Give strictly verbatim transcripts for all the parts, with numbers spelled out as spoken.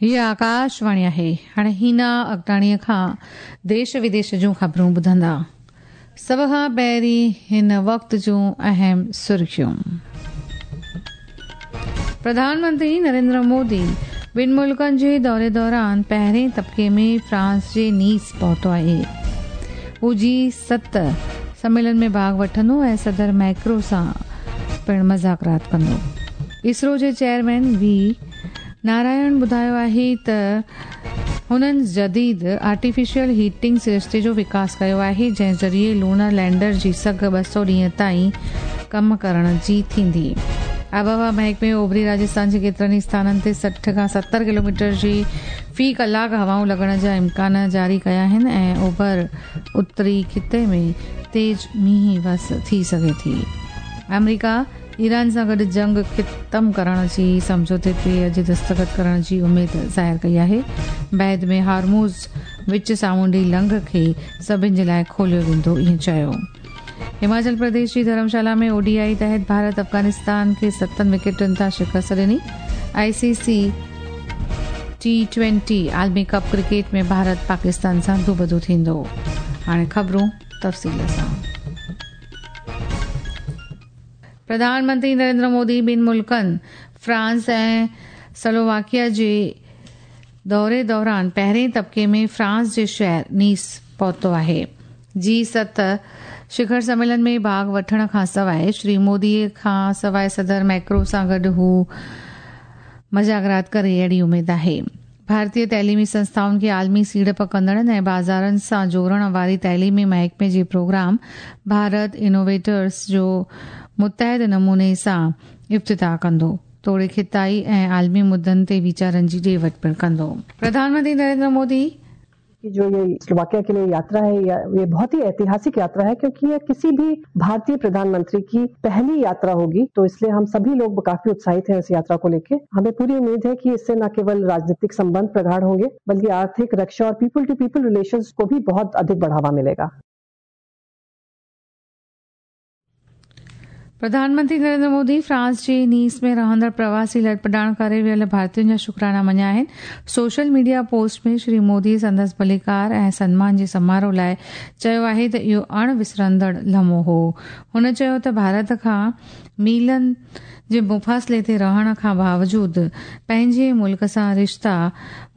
हीअ आकाशवाणी आहे। हाणे हीना अगटाणीअ खां देश विदेश जूं ख़बरूं ॿुधंदा। सभ खां पहिरीं हिन वक़्त जूं अहम सुर्खियूं। प्रधानमंत्री नरेंद्र मोदी ॿिनि मुल्कनि जे दौरे दौरान पहिरें तबिके में फ्रांस जे नीस पहुतो आहे। हू जी सत सम्मेलन में भाॻ वठंदो ऐं सदर मैक्रो सां पिणु मज़ाकरात कंदो। इसरो जे चेयरमैन वी नारायण ॿुधायो आहे त हुननि जदीद आर्टिफिशियल हीटिंग सरिश्ते जो विकास कयो आहे, जंहिं ज़रिए लूनर लैंडर जी सघ ॿ सौ ॾींहं ताईं कमु करण जी थींदी। आबहवा महकमे ओभरी राजस्थान जे केतिरनि स्थाननि ते सठि खां सतरि किलोमीटर जी फ़ी कलाक हवाऊं लॻण जा इम्कान जारी कया आहिनि ऐं ओभर उत्तरी ख़िते में तेज़ मींहुं वस थी सघे थी। अमेरिका ईरान सां गॾु जंग ख़तम करण जी सम्झौते ते अॼु दस्तख़त करण जी उमेद ज़ाहिर कई आहे। बाद में हार्मूज़ विच सामुंडी लंघ खे सभिनि जे लाइ खोलियो वेंदो, ईअं चयो। हिमाचल प्रदेश जी धर्मशाला में ओडीआई तहत भारत अफ़गानिस्तान खे सतनि विकेटुनि तां शिकस्त ॾिनी। आईसीसी टी ट्वेंटी आलमी कप क्रिकेट में भारत पाकिस्तान सां दूबदू थींदो। हाणे ख़बरूं तफ़सील सां। प्रधानमंत्री नरेंद्र मोदी ॿिनि मुल्कनि फ्रांस ऐं स्लोवाकिया जे दौरे दौरान पहिरें तबिके में फ्रांस जे शहर नीस पहुतो आहे। जी सत शिखर सम्मेलन में भाॻ वठण खां सवाइ श्री मोदीअ खां सवाइ सदर मैक्रो सां गॾु हू मज़ाकरात करे अहिड़ी उमेद आहे। भारतीय तइलीमी संस्थाउनि खे आलमी सीड़प कंदड़नि ऐं बाज़ारनि सां जोड़ण वारी तइलीमी महकमे जे प्रोग्राम भारत इनोवेटर्स जो मुतहद नमूने सां इफ्तिताह कंदो, तोड़े खिताई ऐं आलमी मुद्दनि ते वीचारनि जी ॾे वठ पिणु कंदो। प्रधानमंत्री नरेंद्र मोदी की जो ये स्लोवाकिया के लिए यात्रा है, ये बहुत ही ऐतिहासिक यात्रा है, क्योंकि ये किसी भी भारतीय प्रधानमंत्री की पहली यात्रा होगी। तो इसलिए हम सभी लोग काफी उत्साहित हैं इस यात्रा को लेके। हमें पूरी उम्मीद है कि इससे न केवल राजनीतिक संबंध प्रगाढ़ होंगे, बल्कि आर्थिक, रक्षा और पीपल टू पीपल रिलेशंस को भी बहुत अधिक बढ़ावा मिलेगा। प्रधानमंत्री नरेंद्र मोदी फ्रांस जे नीस में रहंदड़ प्रवासी लॾपॾाण करे वियल भारतीयुनि जा शुक्राना मञिया आहिनि। सोशल मीडिया पोस्ट में श्री मोदी संदसि भलीकार ऐं सन्मान जे समारोह लाइ चयो आहे त इहो अण विसरंदड़ लम्हो हो। हुन चयो त भारत खां मीलनि जे मुफ़ासिले ते रहण खां बावजूद पंहिंजे मुल्क सां रिश्ता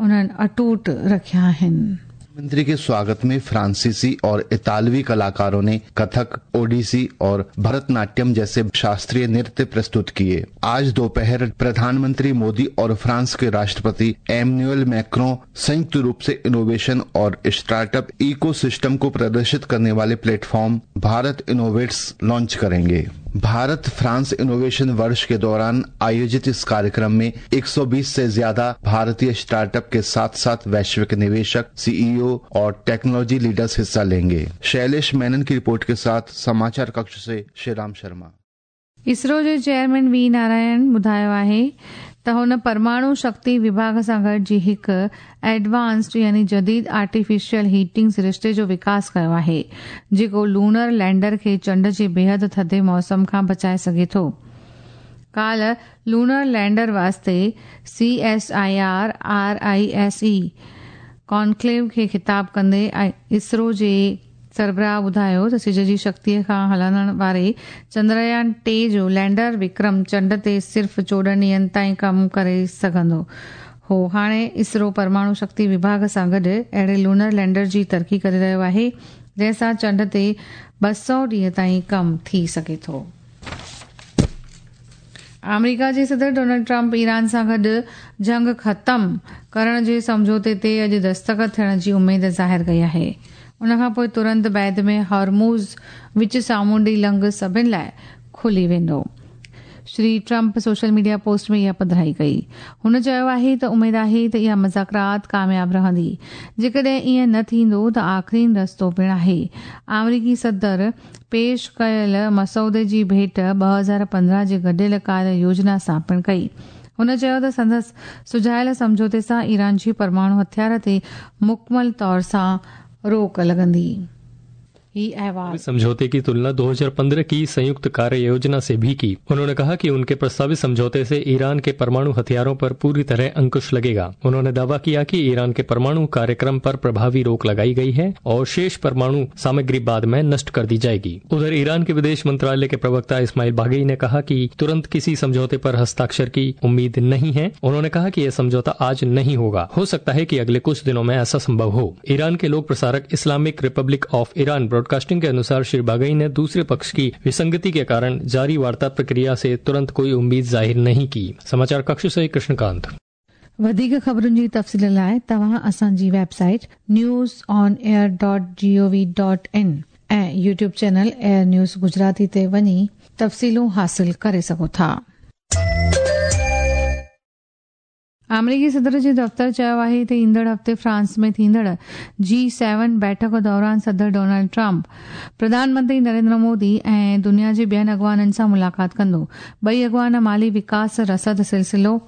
उन्हनि अटूट रखिया आहिनि। मंत्री के स्वागत में फ्रांसीसी और इतालवी कलाकारों ने कथक, ओडिसी और भरतनाट्यम जैसे शास्त्रीय नृत्य प्रस्तुत किए। आज दोपहर प्रधानमंत्री मोदी और फ्रांस के राष्ट्रपति एमन्युएल मैक्रों संयुक्त रूप से इनोवेशन और स्टार्टअप इकोसिस्टम को प्रदर्शित करने वाले प्लेटफॉर्म भारत इनोवेट्स लॉन्च करेंगे। भारत फ्रांस इनोवेशन वर्ष के दौरान आयोजित इस कार्यक्रम में एक सौ बीस से ज्यादा भारतीय स्टार्टअप के साथ साथ वैश्विक निवेशक, सीईओ और टेक्नोलॉजी लीडर्स हिस्सा लेंगे। शैलेश मेनन की रिपोर्ट के साथ समाचार कक्ष से श्रीराम शर्मा। इसरो जे चेयरमैन वी नारायण ॿुधायो आहे त हुन परमाणु शक्ति विभाग सां गॾिजी हिकु एडवांस्ड यानी जदीद आर्टिफिशियल हीटिंग सरिश्ते जो विकास कयो आहे, जेको लूनर लैंडर खे चंड जे बेहद थधे मौसम खां बचाए सघे थो। काल्ह लूनर लैंडर वास्ते C S I R R I S E conclave खे ख़िताब कंदे इसरो जे सरबराह ॿुधायो त सिज जी शक्तीअ खां हलण वारे चंद्रयान टे जो लैंडर विक्रम चंड ते सिर्फ़ चोॾहं ॾींहंनि ताईं कमु करे सघंदो हो। हाणे इसरो परमाणु शक्ति विभाग सां गॾु अहिड़े लूनर लैंडर जी तरक़ी करे रहियो आहे, जंहिं सां चंड ते ॿ सौ ॾींहं ताईं कमु थी सघे थो। अमेरिका जे सदर डोनाल्ड ट्रंप ईरान सां गॾु जंग ख़तम करण जे सम्झौते ते अॼु दस्तख़त थियण जी उमेद ज़ाहिर कई आहे। उन खां पोइ तुरंत बाद में हॉर्मूज़ विच सामुंडी लंघ सभिनि लाइ खुली वेंदो। Shri Trump social media post में इहा पधराई कई। हुन चयो आहे त उमेद आहे त इहा मज़ाकरात कामयाब रहंदी, जेकॾहिं ईअं न थींदो त आख़िरीन रस्तो पिणु आहे। आमरीकी सदर पेश कयल मसौदे जी भेंट ॿ हज़ार पंद्रहं जे गॾियल कार्य योजना सां पिणु कई। हुन चयो त संदसि सुझायल सम्झौते सां ईरान जी परमाणु हथियार ते मुकमल तौर सां रोक लॻंदी। ही अहवाल। समझौते की तुलना दो हज़ार पंद्रह की संयुक्त कार्य योजना से भी की। उन्होंने कहा कि उनके प्रस्तावित समझौते से ईरान के परमाणु हथियारों पर पूरी तरह अंकुश लगेगा। उन्होंने दावा किया कि ईरान के परमाणु कार्यक्रम पर प्रभावी रोक लगाई गई है और शेष परमाणु सामग्री बाद में नष्ट कर दी जाएगी। उधर ईरान के विदेश मंत्रालय के प्रवक्ता इस्माइल बागई ने कहा कि तुरंत किसी समझौते पर हस्ताक्षर की उम्मीद नहीं है। उन्होंने कहा कि यह समझौता आज नहीं होगा, हो सकता है कि अगले कुछ दिनों में ऐसा संभव हो। ईरान के लोक प्रसारक Islamic Republic of Iran Broadcasting के अनुसार श्री बागई ने दूसरे पक्ष की विसंगति के कारण जारी वार्ता प्रक्रिया से तुरंत कोई उम्मीद जाहिर नहीं की। समाचार कक्ष से कृष्णकांत। वधीक ख़बरुनि जी तफ़सील लाइ तव्हां असांजी website news on air dot G O V dot in ऐं YouTube channel air news Gujarati ते वञी तफ़सीलूं हासिल करे सघो था। आमेरिकी सदर जे दफ़्तर चयो आहे त ईंदड़ हफ़्ते फ्रांस में थींदड़ जी सेवन बैठक दौरान सदर डोनाल्ड ट्रंप प्रधानमंत्री नरेंद्र मोदी ऐं दुनिया जे ॿियनि अॻवाननि सां मुलाक़ात कंदो। ॿई अॻवान माली विकास, रसद सिलसिलो,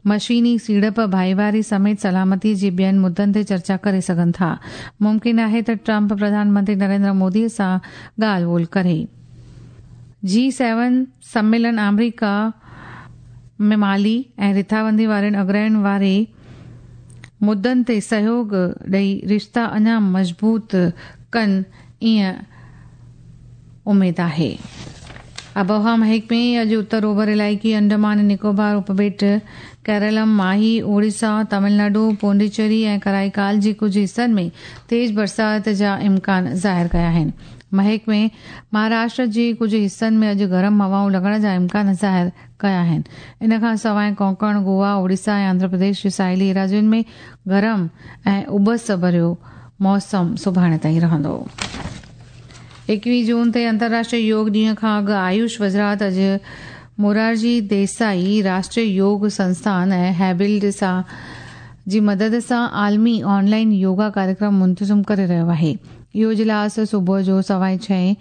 मशीनी सीड़प, भाईवारी समेत सलामती जे ॿियनि मुद्दनि ते चर्चा करे सघनि था। मुमकिन आहे त ट्रंप प्रधानमंत्री नरेंद्र मोदी सां ॻाल्हि ॿोल करे। जी सेवन सम्मेलन आमेरिका में माली ऐं रिथाबंदी वारनि अग्रहण वारे मुद्दनि ते सहयोग ॾेई रिश्ता अञा मज़बूत कनि, ईअं उमेद आहे। आबहावा महकमे अॼु उत्तर ओभर इलाइक़े, अंडमान निकोबार उपॿेट, केरलम, माही, ओडिशा, तमिलनाडु, पोंडिचेरी ऐं कराईकाल जे कुझु हिसनि में तेज़ बरसात जा इम्कान ज़ाहिर कया आहिनि। महकमे महाराष्ट्र जे कुझु हिसनि में अॼु गरम हवाऊं लॻण जा इम्कान ज़ाहिर कया आहिनि। इन खां सवाइ कोंकण, गोवा, ओडिशा ऐं आंध्र प्रदेश जे साहिली राज्युनि में गरम ऐं उबस भरियो मौसम सुभाणे ताईं रहंदो। एकवीह जून ते अंतर्राष्ट्रीय योग ॾींहं खां अॻु आयुष वज़ारत अॼु मोरारजी देसाई राष्ट्रीय योग संस्थान ऐं हैबिल्ड सां जी मदद सां आलमी ऑनलाइन योगा कार्यक्रम मुंतज़िम करे रहियो आहे। इहो इजलास सुबुह जो सवाए छह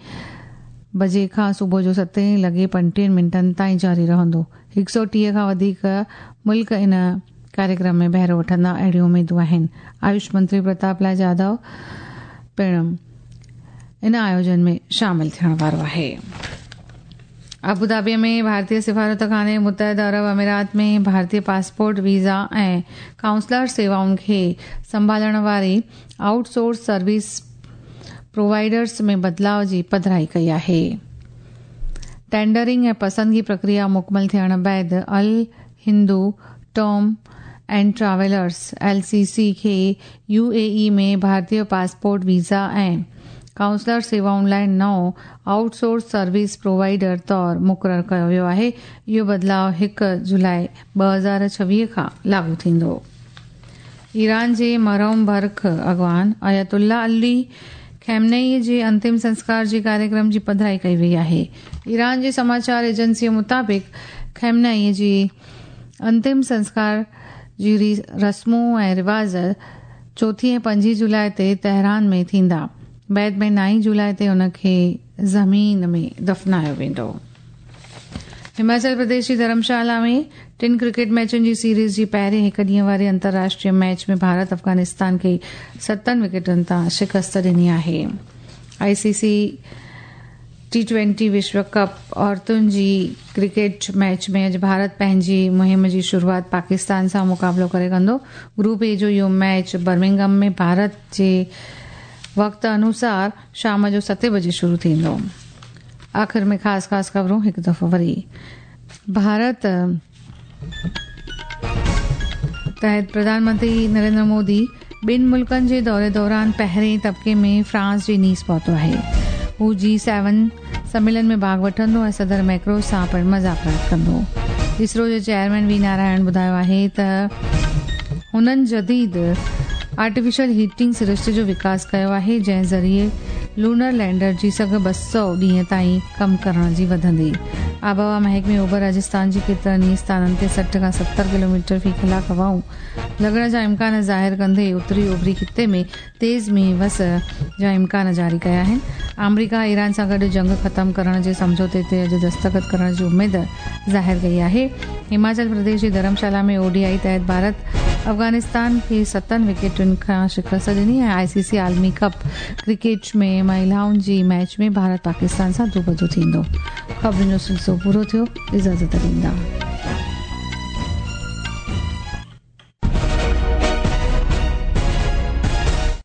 बजे खां सुबुह जो सतें लॻे पंटीह मिंटनि ताईं जारी रहंदो। हिकु सौ टीह खां वधीक मुल्क इन कार्यक्रम में बहिरो वठंदा, अहिड़ियूं उमेदूं आहिनि। आयुष मंत्री प्रताप लाल जाधव पिणु इन आयोजन में शामिल थियण वारो आहे। अबू धाबी में भारतीय सिफारत खाने मुत्तहिदा अरब अमीरात में भारतीय पासपोर्ट, वीज़ा ऐं काउंसलर सेवाउनि खे संभालण वारी आउटसोर्स सर्विस प्रोवाइडर्स में बदिलाव जी पधराई कई आहे। टेंडरिंग ऐं पसंदगी प्रक्रिया मुकमल थियण बाद Al Hindu tour and travellers L C C खे यू ए ई में भारतीय पासपोर्ट, वीज़ा ऐं काउंसलर सेवाउनि लाइ नओं आउटसोर्स सर्विस प्रोवाइडर तौर मुक़ररु कयो वियो आहे। इहो बदिलाव हिकु जुलाई ॿ हज़ार छवीह खां लागू थींदो। ईरान जे मरहूम बरख अॻवान आयतुल्ला अली ख़ामेनेई जे अंतिम संस्कार जे कार्यक्रम जी पधराई कई वई आहे। ईरान जे समाचार एजेंसीअ मुताबिक़ ख़ामेनेई जी अंतिम संस्कार जी रस्मूं ऐं रिवाज चोथी ऐं पंजी जुलाई ते तेहरान में थींदा। बाद में नाई जुलाई ते हुनखे ज़मीन में दफ़नायो वेंदो। हिमाचल प्रदेश जी धर्मशाला में टिनि क्रिकेट मैचुनि जी सीरीज़ जी पहिरीं हिकु ॾींहं वारी अंतर्राष्ट्रीय मैच में भारत अफ़गानिस्तान खे सतनि विकेटनि तां शिकस्त ॾिनी आहे। आईसीसी टी ट्वेंटी विश्व कप औरतुनि जी क्रिकेट मैच में अॼु भारत पंहिंजी मुहिम जी शुरूआत पाकिस्तान सां मुक़ाबिलो करे कंदो। ग्रुप ए जो इहो मैच बर्मिंघम में भारत जे वक़्त अनुसार शाम जो सतें बजे शुरू थींदो। आख़िर में ख़ासि ख़ासि ख़बरूं हिकु दफ़ो वरी। भारत तहत प्रधानमंत्री नरेंद्र मोदी ॿिनि मुल्कनि जे दौरे दौरान पहिरें तबिके में फ्रांस जे नीस पहुतो आहे। हू जी सेवन सम्मेलन में भाॻ वठंदो ऐं सदर मैक्रो सां पिणु मज़ाकरात कंदो। इसरो जे चेयरमैन वी नारायण ॿुधायो आहे त हुननि जदीद आर्टिफिशियल हीटिंग सृष्टि जो विकास कयो आहे, जंहिं ज़रिए लूनर लैंडर जी सघ ॿ सौ ॾींहं ताईं कमु करण जी वधंदी। आबहावा महकमे ओभर राजस्थान जी केतिरनि ई स्थाननि ते सठि खां सतरि किलोमीटर फ़ी कलाक हवाऊं लॻण जा इम्कान ज़ाहिर कंदे उत्तरी ओभरी ख़िते में तेज़ मींहुं वस जा इम्कान जारी कया आहिनि। आमेरिका ईरान सां गॾु जंग ख़तमु करण जे सम्झौते ते अॼु दस्तख़त करण जी उमेद ज़ाहिर कई आहे। हिमाचल प्रदेश जी धर्मशाला में ओडीआई तहत भारत अफ़गानिस्तान खे सतनि विकेटुनि खां शिकस्त ॾिनी ऐं आईसीसी आलमी कप क्रिकेट में महिलाउनि जी मैच में भारत पाकिस्तान सां रूबरू थींदो। ख़बरुनि जो सिलसिलो पूरो थियो, इजाज़त ॾींदा।